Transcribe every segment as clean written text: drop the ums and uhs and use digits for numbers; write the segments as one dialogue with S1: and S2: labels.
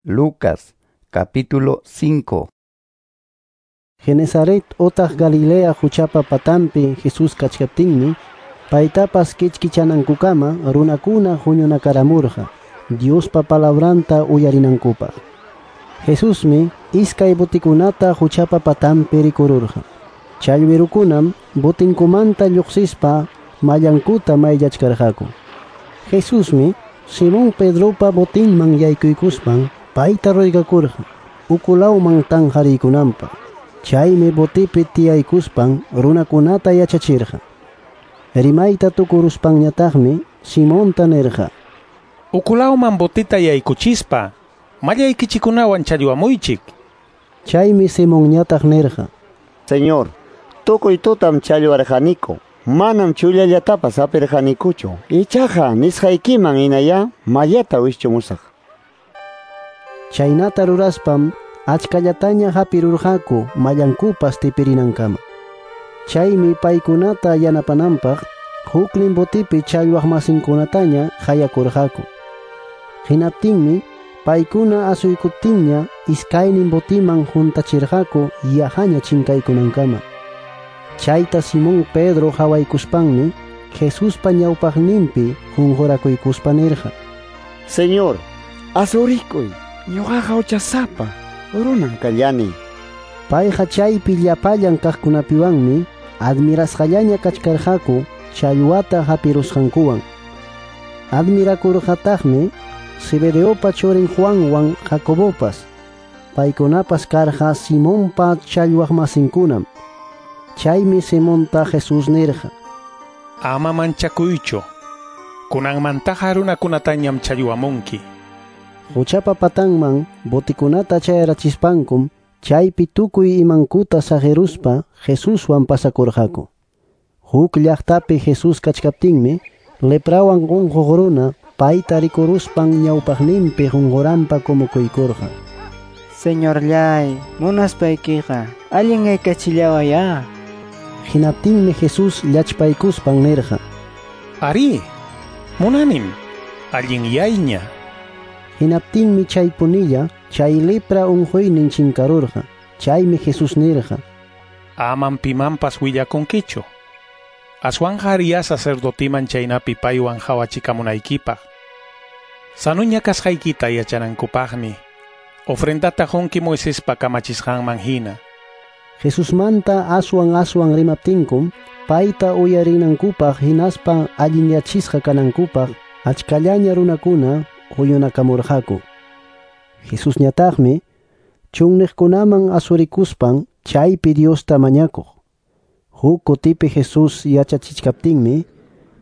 S1: Lucas capítulo 5.
S2: Genesaret otaq Galilea huchapa patampi Jesús kachkaptinmi, paytapas kichkichanankukama runakuna huñunakaramurqa Diospa palabranta uyarinankupaq. Jesusmi iskay botikunata huchapa patampi rikururqa. Challwirukunam botinkumanta lluqsispa mallankuta mayllachkarqaku. Jesusmi Simón Pedropa botinman yaykuykuspan payta roygakurqa ukulawman tanqariykunanpaq. Chaymi botipi tiyaykuspan runakunata yachachirqa. Rimayta tukuruspanñataqmi Simonta nirqa:
S3: Ukulawman botita yaykuchispa mallaykichikunawan challwamuychik.
S2: Chaymi Simonñataq nirqa:
S4: Señor, tukuy tutam challwarqaniku, manam chullallatapas apirqanikuchu. Ichaqa nisqaykiman hinaya mallata wischumusaq.
S2: Chaynata ruraspam achkallataña hapirurqaku mallankupas tipirinankama. Chaymi paykunata yanapananpaq huknin botipi challwaq masinkunataña hayakurqaku. Hinaptinmi paykuna asuykuptinña iskaynin botiman huntachirqaku yahaña chinkaykunankama. Chayta Simón Pedro hawaykuspanmi Jesuspa ñawpaqninpi qunqurakuykuspa nirqa:
S4: Señor, asurikuy, ñuqaqa huchasapa runan kallani.
S2: Payqa chaypi llapallan kaqkunapiwanmi admirasqallaña kachkarqaku challwata hapirusqankuwan. Admirakurqataqmi Zebedeopa churin Juanwan Jacobopas. Paykunapas karqa Simonpa challwaqmasinkunam. Chaymi Simonta Jesús nirqa:
S3: Ama manchakuychu, kunanmantaqa runakunatañam challwamunki.
S2: Huchapa patanman botikunata chayarachispankum chaypi tukuy imankuta saqiruspa Jesuswan pasakurqaku. Huk llaqtapi Jesús kachkaptinmi leprawan unquq runa payta rikuruspan ñawpaqninpi qunquranpa kumukuykurqa.
S5: Señorllay, munaspaykiqa allin aykachillawayá.
S2: Hinaptinmi Jesús llachpaykuspan nirqa:
S3: Ari, munanim, allinyayña.
S2: Hinaptinmi chaypunilla chay lepra unquynin chinkarurqa. Chaymi Jesús nirqa:
S3: Amam pimanpas willakunkichu. Aswanqa ariya sacerdotiman chaynapi paywan hawachikamunaykipaq. Sanuña kasqaykita yachanankupaqmi ofrendata qunki Moisespa kamachisqanman hina.
S2: Jesusmanta aswan aswan rimaptinkum payta uyarinankupaq hinaspa allinyachisqa kanankupaq achkallaña runakuna huñunakamurqaku. Jesusñataqmi chunniqkunaman asurikuspan chaypi Diosta mañakuq. Huk kutipi Jesús yachachichkaptinmi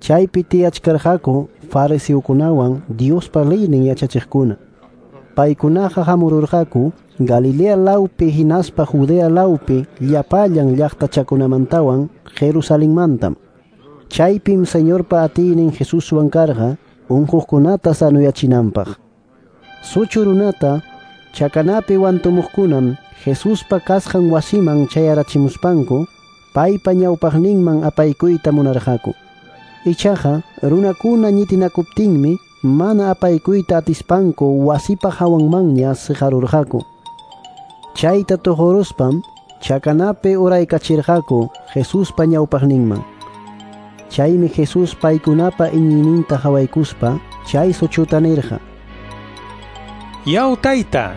S2: chaypi tiyachkarqaku fariseokunawan Diospa leynin yachachiqkuna. Paykunaqa hamururqaku Galilea lawpi hinaspa Judea lawpi llapallan llaqtachakunamantawan Jerusalenmantam. Chaypim Señorpa atiynin Jesuswan karqa unquqkunata sanuyachinanpaq. Suchu runata chakanapi wantumuqkunam Jesuspa kasqan wasiman chayarachimuspanku paypa ñawpaqninman apaykuyta munarqaku. Ichaqa runakuna ñitinakuptinmi mana apaykuyta atispanku wasipa hawanmanña siqarurqaku. Chayta tuquruspam chakanapi uraykachirqaku Jesuspa ñawpaqninman. Chaymi Jesús paykunapa iñiyninta hawaykuspa chay suchuta nirqa:
S3: Yaw tayta,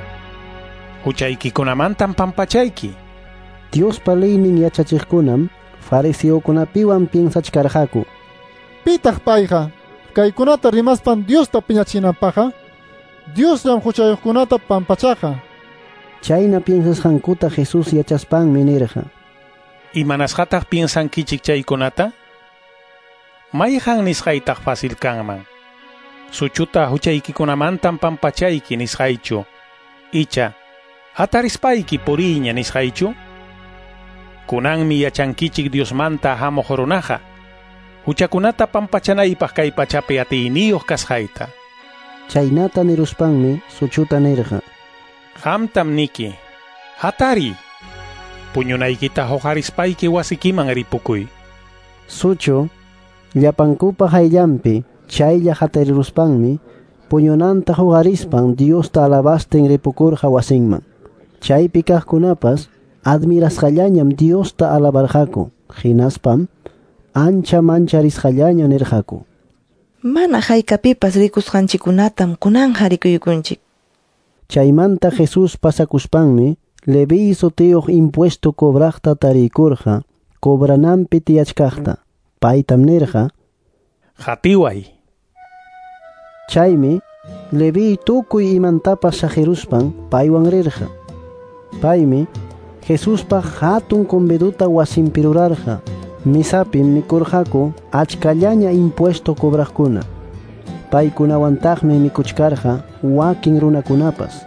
S3: huchaykikunamantam pampachayki.
S2: Diospa leynin yachachiqkunam fariseokunapiwan piensachkarqaku:
S6: Pitaq payqa kaykunata rimaspan Diosta piñachinanpaqqa? Diosllam huchayuqkunata pampachaqa.
S2: Chayna piensasqankuta Jesús yachaspanmi nirqa:
S3: Imanasqataq piensankichik chaykunata? Mayqan nisqaytaq fácil kanman? Suchuta huchaykikunamantam pampachayki nisqaychu, icha hatarispayki puriyña nisqaychu? Kunanmi yachankichik Diosmanta hamuq runaqa huchakunata pampachanaypaq kay pachapi atiyniyuq kasqayta.
S2: Chaynata niruspanmi suchuta nirqa:
S3: Qamtam niki, hatari, puñunaykita huqarispayki wasikiman ripukuy.
S2: Suchu llapankupa hayllanpi chaylla hatariruspanmi puñunanta huqarispan Diosta alabastin ripukurqa wasinman. Chaypi kaqkunapas admirasqallañam Diosta alabarqaku, hinaspam ancha mancharisqallaña nirqaku:
S7: Mana haykapipas rikusqanchikkunatam kunanqa rikuykunchik.
S2: Chaymanta Jesús pasakuspanmi Leví sutiyuq impuesto cobraqta tariykurqa, cobrananpi tiyachkaqta. Paytam nirqa:
S3: Qatiway.
S2: Chaymi Leví tukuy imantapas saqiruspan paywan rirqa. Paymi Jesuspaq hatun conviduta wasinpi rurarqa. Misapim mikurqaku achkallaña impuesto cobraqkuna. Paykunawantaqmi mikuchkarqa wakin runakunapas.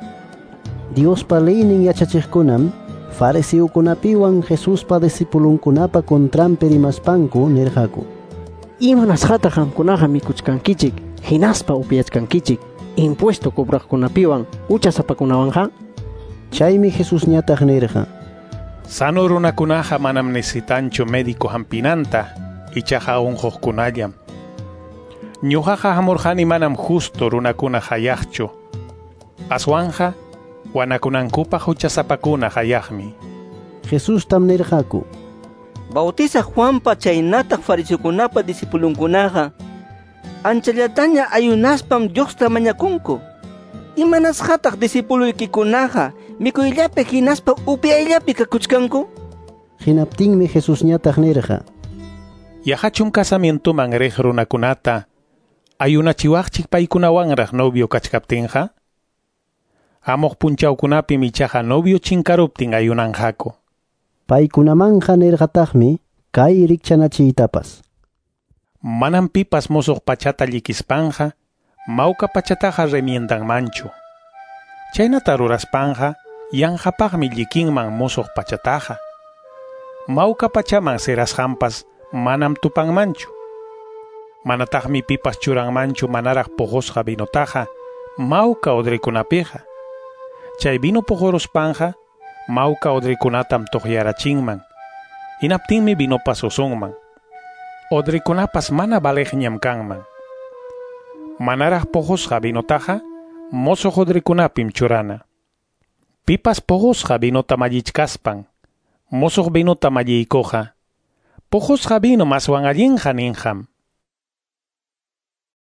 S2: Diospa leynin yachachiqkunam fariseokunapiwan Jesuspa discipulunkunapa contranpi rimaspanku nirqaku:
S8: Imanasqataq qamkunaqa mikuchkankichik hinaspa upyachkankichik impuesto cobraqkunapiwan huchasapakunawanqa?
S2: Chaymi Jesusñataq nirqa:
S3: Sano runakunaqa manam necesitanchu médico hampinanta, ichaqa unquqkunallam. Ñuqaqa hamurqani manam justo runakuna hayaqchu. Aswanja wanakunankupaq huchasapakuna hayaqmi.
S2: Jesustam nirqaku:
S9: Bautizaq Juanpa chaynataq fariseokunapa discipulunkunaqa anchallataña ayunaspam Diosta mañakunku. Imanasqataq discipuloykikunaqa mikuyllapi hinaspa upyayllapi kakuchkanku?
S2: Hinaptinmi Jesusñataq nirqa:
S3: Yaqachum casamientoman riq runakunata ayunachiwaqchik paykunawanraq novio kachkaptinqa? Hamuq punchawkunapim ichaqa novio chinkaruptin ayunanqaku.
S2: Paykunamanqa nirqataqmi kay rikchanachiytapas:
S3: Manam pipas musuq pachata llikispanqa mawka pachataqa remiendanmanchu. Chaynata ruraspanqa yanqapaqmi llikinman musuq pachataqa. Mawka pachaman sirasqanpas manam tupanmanchu. Manataqmi pipas churanmanchu manaraq puqusqa vinotaqa mawka odrikunapiqa. Chay vino puquruspanqa mawka odrikunatam tuqyarachinman. Hinaptinmi vinopas usunman. Odrikunapas mana valeqñam kanman. Manaraq puqusqa vinotaqa mosoq odrikunapim churana. Pipas puqusqa vinota mallichkaspan mosoq vinota malliykuqa, puqusqa vino maswan allinqa ninqam.